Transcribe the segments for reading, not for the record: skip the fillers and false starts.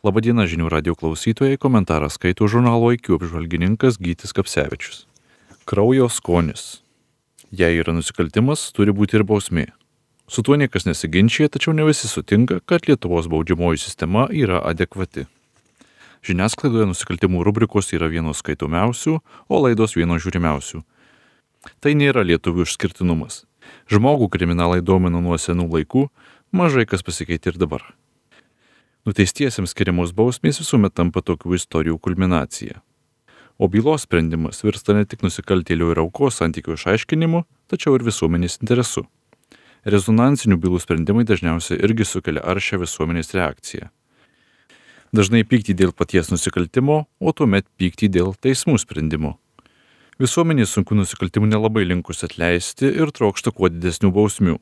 Labadiena žinių radio klausytojai, komentarą skaito žurnalo IQ apžvalgininkas Gytis Kapsevičius. Kraujo skonis. Jei yra nusikaltimas, turi būti ir bausmė. Su tuo niekas nesiginčia, tačiau ne visi sutinka, kad Lietuvos baudžiamoji sistema yra adekvati. Žiniasklaidoje nusikaltimų rubrikos yra vienos skaitomiausių, o laidos vienos žiūrimiausių. Tai nėra lietuvių išskirtinumas. Žmogų kriminalai domino nuo senų laikų, mažai kas pasikeitė ir dabar. Nuteistiesiems skiriamos bausmės visuomet tampa tokių istorijų kulminacija. O bylos sprendimas virsta ne tik nusikaltėlio ir aukos santykių išaiškinimu, tačiau ir visuomenės interesu. Rezonansinių bylų sprendimai dažniausiai irgi sukelia aršią visuomenės reakciją. Dažnai pyktį dėl paties nusikaltimo, o tuomet pyktį dėl teismų sprendimo. Visuomenė sunkių nusikaltimų nelabai linkus atleisti ir trokšta kuo didesnių bausmių.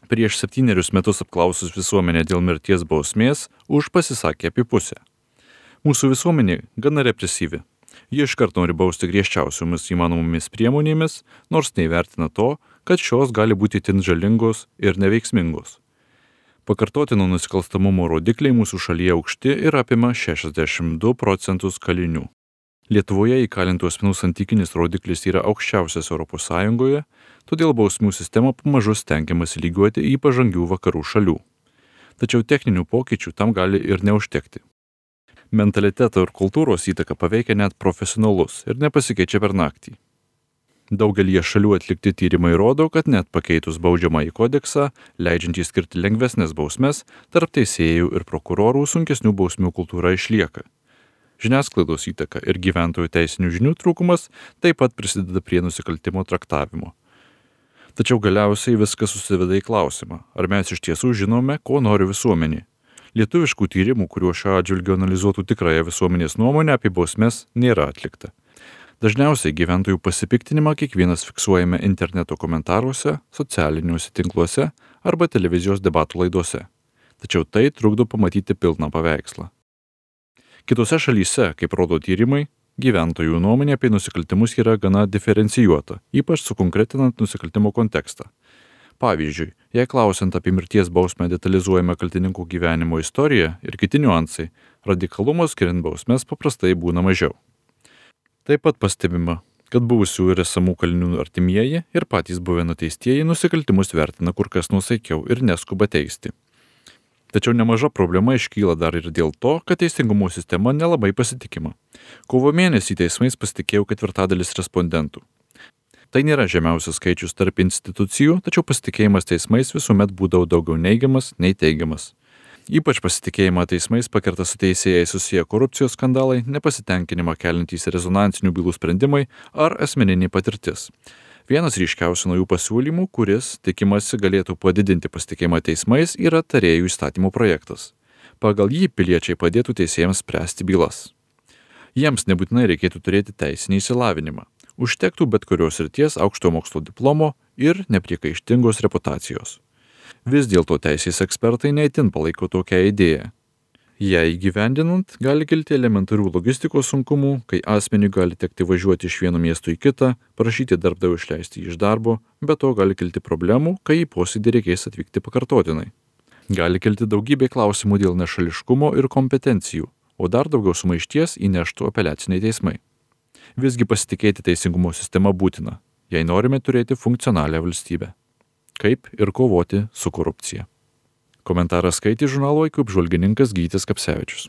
Prieš 7 metus apklausus visuomenę dėl mirties bausmės, už pasisakė apie pusę. Mūsų visuomenė gana represyvi. Ji iškart nori bausti griežčiausiomis įmanomomis priemonėmis, nors neįvertina to, kad šios gali būti itin žalingos ir neveiksmingos. Pakartotino nusikalstamumo rodikliai mūsų šalyje aukšti ir apima 62% kalinių. Lietuvoje įkalintų asmenų santykinis rodiklis yra aukščiausias ES, todėl bausmių sistemą pamažu stengiamasi lygiuoti į pažangių vakarų šalių. Tačiau techninių pokyčių tam gali ir neužtekti. Mentaliteto ir kultūros įtaka paveikia net profesionalus ir nepasikeičia per naktį. Daugelie šalių atlikti tyrimai rodo, kad net pakeitus baudžiamąjį kodeksą, leidžiantį skirti lengvesnės bausmes, tarp teisėjų ir prokurorų sunkesnių bausmių kultūra išlieka. Žiniasklaidos įtaka ir gyventojų teisinių žinių trūkumas taip pat prisideda prie nusikaltimo traktavimo. Tačiau galiausiai viskas susiveda į klausimą, ar mes iš tiesų žinome, ko nori visuomenė. Lietuviškų tyrimų, kuriuo šiuo atžvilgiu analizuotų tikrąją visuomenės nuomonę apie bausmes, nėra atlikta. Dažniausiai gyventojų pasipiktinimą kiekvienas fiksuojame interneto komentaruose, socialiniuose tinkluose arba televizijos debatų laidose. Tačiau tai trukdo pamatyti pilną paveikslą. Kitose šalyse, kaip rodo tyrimai, gyventojų nuomonė apie nusikaltimus yra gana diferencijuota, ypač sukonkretinant nusikaltimo kontekstą. Pavyzdžiui, jei klausiant apie mirties bausmę detalizuojame kaltininkų gyvenimo istoriją ir kiti niuansai, radikalumo skiriant bausmes paprastai būna mažiau. Taip pat pastebima, kad buvusių ir esamų kalinių artimieji ir patys buvę nuteistieji nusikaltimus vertina kur kas nuosaikiau ir neskuba teisti. Tačiau nemaža problema iškyla dar ir dėl to, kad teisingumo sistema nelabai pasitikima. Kovo mėnesį teismais pasitikėjo 1/4 respondentų. Tai nėra žemiausias skaičius tarp institucijų, tačiau pasitikėjimas teismais visuomet būdavo daugiau neigiamas nei teigiamas. Ypač pasitikėjimą teismais pakerta su teisėjais susiję korupcijos skandalai, nepasitenkinimą keliantys rezonansinių bylų sprendimai ar asmeninė patirtis. Vienas ryškiausių naujų pasiūlymų, kuris, tikimasi, galėtų padidinti pasitikėjimą teismais, yra tarėjų įstatymų projektas. Pagal jį piliečiai padėtų teisėjams spręsti bylas. Jiems nebūtinai reikėtų turėti teisinį išsilavinimą. Užtektų bet kurios srities aukšto mokslo diplomo ir nepriekaištingos reputacijos. Vis dėlto teisės ekspertai neįtin palaiko tokią idėją. Jei įgyvendinant, gali kilti elementarių logistikos sunkumų, kai asmeniui gali tekti važiuoti iš vieno miesto į kitą, prašyti darbdavio išleisti iš darbo, bet to gali kilti problemų, kai į posėdį reikės atvykti pakartotinai. Gali kilti daugybė klausimų dėl nešališkumo ir kompetencijų, o dar daugiau sumaišties įneštų apeliaciniai teismai. Visgi pasitikėti teisingumo sistema būtina, jei norime turėti funkcionalią valstybę. Kaip ir kovoti su korupcija. Komentarą skaitė žurnalo IQ apžvalgininkas Gytis Kapsevičius.